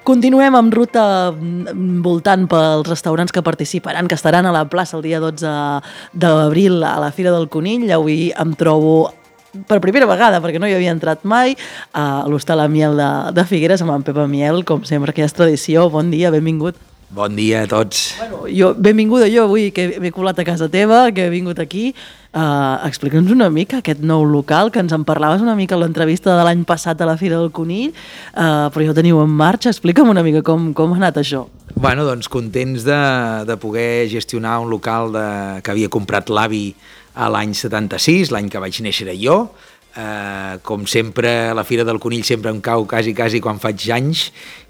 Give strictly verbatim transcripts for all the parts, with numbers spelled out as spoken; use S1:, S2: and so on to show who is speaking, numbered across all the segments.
S1: Continuem amb ruta voltant pels restaurants que participaran, que estaran a la plaça el dia dotze d'abril a la Fira del Conill. Avui em trobo per primera vegada, perquè no hi havia entrat mai, a l'Hostal Amiel de, de Figueres amb en Pep Amiel, com sempre, que ja és tradició. Bon dia, benvingut.
S2: Bon dia a tots.
S1: Bueno, jo, benvinguda jo avui, que m'he colat a casa teva, que he vingut aquí. Uh, Explica'ns una mica aquest nou local, que ens en parlaves una mica a l'entrevista de l'any passat a la Fira del Conill, uh, però ja ho teniu en marxa. Explica'm una mica com, com ha anat això.
S2: Bueno, doncs contents de, de poder gestionar un local de, que havia comprat l'avi a l'any setanta-sis, l'any que vaig néixer jo. Uh, com sempre, la Fira del Conill sempre em cau quasi, quasi quan faig anys,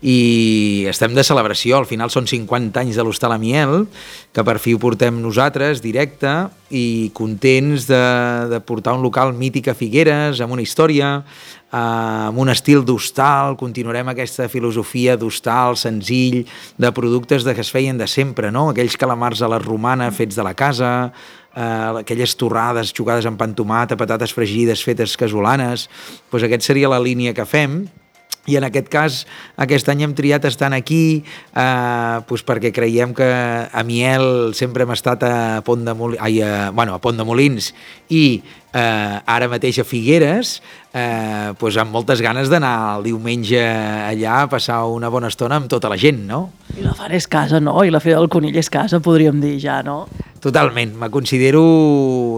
S2: i estem de celebració. Al final són cinquanta anys de l'Hostal Amiel, que per fi ho portem nosaltres directe, i contents de, de portar un local mític a Figueres, amb una història, uh, amb un estil d'hostal. Continuarem aquesta filosofia d'hostal senzill, de productes de que es feien de sempre, no? Aquells calamars a la romana fets de la casa, Uh, aquelles torrades jugades amb pa amb tomata, patates fregides fetes casolanes. Pues aquesta seria la línia que fem, i en aquest cas aquest any hem triat estar aquí eh, pues perquè creiem que a Miel sempre hem estat a Pont de Molins, ai, a, bueno, a Pont de Molins i eh, ara mateix a Figueres, eh, pues amb moltes ganes d'anar el diumenge allà a passar una bona estona amb tota la gent, no?
S1: I la Fara és casa, no? I la Fira del Conill és casa, podríem dir ja, no?
S2: Totalment, me considero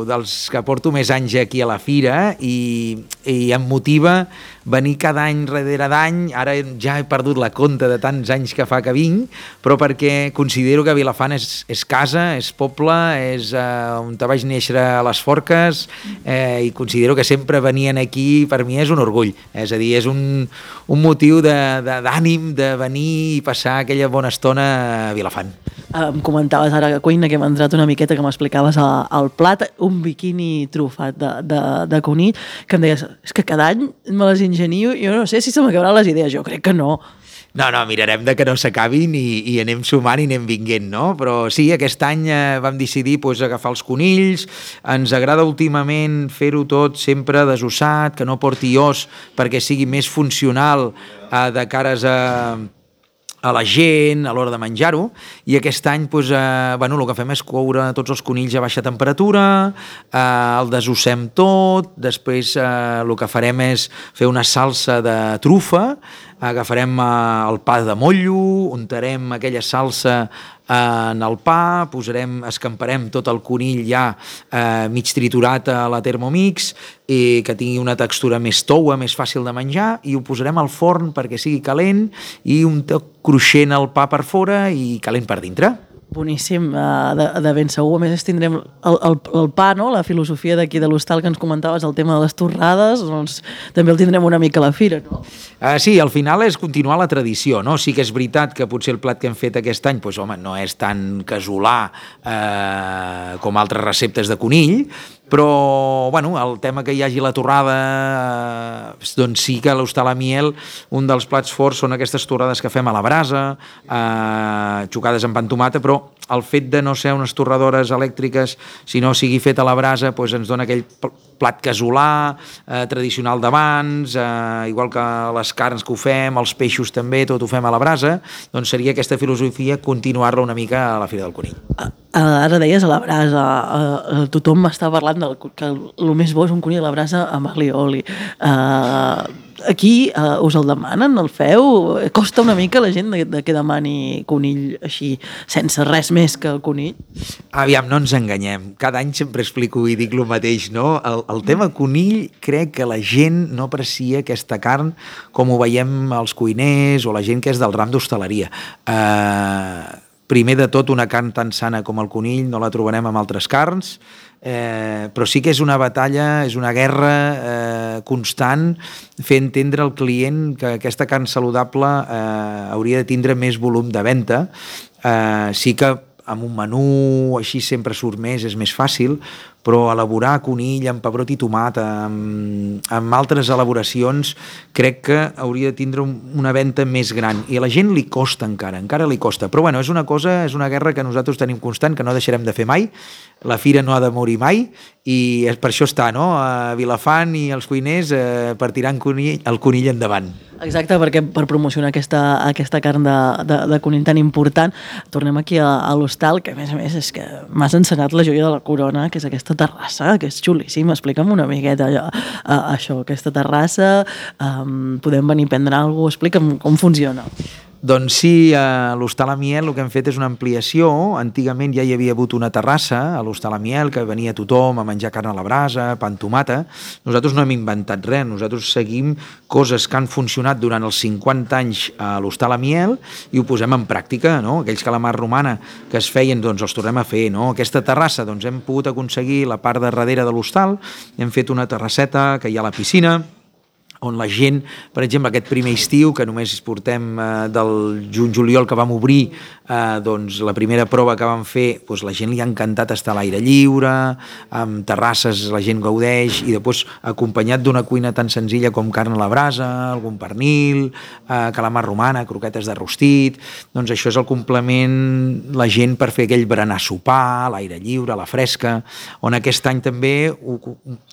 S2: dels que porto més anys aquí a la Fira, i, i em motiva venir cada any darrere d'any. Ara ja he perdut la compte de tants anys que fa que vinc, però perquè considero que Vilafant és, és casa, és poble, és eh, on te vaig néixer a les Forques, eh, i considero que sempre venien aquí, per mi és un orgull, és a dir, és un, un motiu d'ànim de, de, de venir i passar aquella bona estona a Vilafant.
S1: Em comentaves ara a cuina, que hem entrat una miqueta, que m'explicaves al plat, un biquini trufat de, de, de conill, que em deies, és que cada any me les ingenio, jo no sé si se m'acabaran les idees, jo crec que no.
S2: No, no, mirarem de que no s'acabin i, i anem sumant i anem vinguent, no? Però sí, aquest any eh, vam decidir pues, agafar els conills. Ens agrada últimament fer-ho tot sempre desossat, que no porti os, perquè sigui més funcional eh, de cares a... a la gent a l'hora de menjar-ho, i aquest any doncs, eh, bueno, el que fem és coure tots els conills a baixa temperatura, eh, el desossem tot, després eh, el que farem és fer una salsa de trufa, agafarem eh, el pa de motllo, untarem aquella salsa en el pa, posarem, escamparem tot el conill ja eh, mig triturat a la Thermomix, i que tingui una textura més toua, més fàcil de menjar, i ho posarem al forn perquè sigui calent i un toc cruixent al pa per fora i calent per dintre.
S1: Boníssim, de, de ben segur. A més, tindrem el, el, el pa, no? La filosofia d'aquí de l'hostal que ens comentaves, el tema de les torrades, doncs també el tindrem una mica a la fira, no?
S2: Uh, sí, al final és continuar la tradició, no? Sí que és veritat que potser el plat que hem fet aquest any, doncs, home, no és tan casolà eh, com altres receptes de conill, però bueno, el tema que hi hagi la torrada, eh, doncs sí que a l'Hostal Amiel un dels plats forts són aquestes torrades que fem a la brasa, eh, xucades amb pa amb tomata, però el fet de no ser unes torradores elèctriques, sinó sigui fet a la brasa, doncs ens dona aquell plat casolà, eh, tradicional d'abans, eh, igual que les carns que ho fem, els peixos també, tot ho fem a la brasa. Doncs seria aquesta filosofia continuar-la una mica a la Fira del Conill.
S1: Ara deies a la brasa, uh, tothom m'està parlant del, que el més bo és un conill a la brasa amb ali i oli. Uh, aquí uh, us el demanen, el feu? Costa una mica la gent de, de que demani conill així, sense res més que el conill?
S2: Aviam, no ens enganyem. Cada any sempre explico i dic el mateix, no? El, el tema conill, crec que la gent no aprecia aquesta carn com ho veiem als cuiners o la gent que és del ram d'hostaleria. Uh, primer de tot, una carn tan sana com el conill no la trobarem amb altres carns, eh, però sí que és una batalla, és una guerra eh, constant, fer entendre al client que aquesta carn saludable eh, hauria de tindre més volum de venda. Eh, sí que amb un menú així sempre surt més, és més fàcil, però elaborar conill amb pebrot i tomata, amb, amb altres elaboracions, crec que hauria de tindre una venda més gran, i a la gent li costa encara, encara li costa, però bueno, és una cosa, és una guerra que nosaltres tenim constant, que no deixarem de fer mai. La fira no ha de morir mai, i per això està, no?, a Vilafant i els cuiners eh, per tirar conill, el conill endavant.
S1: Exacte, perquè per promocionar aquesta, aquesta carn de, de, de conill tan important, tornem aquí a, a l'hostal, que a més a més és que m'has ensenyat la joia de la corona, que és aquesta terrassa, que és xulíssim. Explica'm una miqueta allò, a, això, aquesta terrassa, um, podem venir a prendre alguna cosa, explica'm com funciona.
S2: Doncs sí, a l'Hostal Amiel el que hem fet és una ampliació. Antigament ja hi havia hagut una terrassa a l'Hostal Amiel, que venia tothom a menjar carn a la brasa, pa amb tomata. Nosaltres no hem inventat res, nosaltres seguim coses que han funcionat durant els cinquanta anys a l'Hostal Amiel i ho posem en pràctica, no? Aquells calamars romana que es feien, doncs els tornem a fer, no? Aquesta terrassa, doncs hem pogut aconseguir la part de darrere de l'hostal, hem fet una terrasseta que hi ha a la piscina, on la gent, per exemple, aquest primer estiu, que només portem eh, del juny-juliol que vam obrir, eh, doncs la primera prova que vam fer, doncs la gent li ha encantat estar a l'aire lliure, amb terrasses la gent gaudeix, i després acompanyat d'una cuina tan senzilla com carn a la brasa, algun pernil, eh, calamar romana, croquetes de rostit, doncs això és el complement, la gent per fer aquell berenar sopar, a l'aire lliure, a la fresca, on aquest any també ho,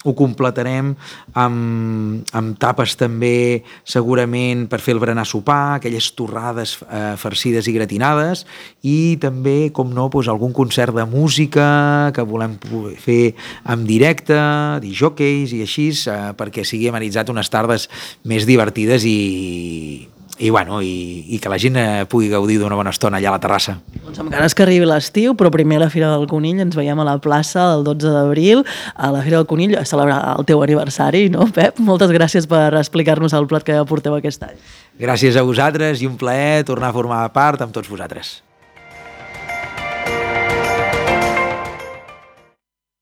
S2: ho completarem amb, amb tapes també segurament per fer el berenar sopar, aquelles torrades eh, farcides i gratinades, i també, com no, doncs algun concert de música que volem fer en directe, disjòqueis i així, eh, perquè sigui amenitzat unes tardes més divertides i, i, bueno, i, i que la gent pugui gaudir d'una bona estona allà a la terrassa.
S1: Doncs amb ganes que arribi l'estiu, però primer a la Fira del Conill ens veiem a la plaça el dotze d'abril, a la Fira del Conill, a celebrar el teu aniversari, no, Pep? Moltes gràcies per explicar-nos el plat que porteu aquest any.
S2: Gràcies a vosaltres i un plaer tornar a formar part amb tots vosaltres.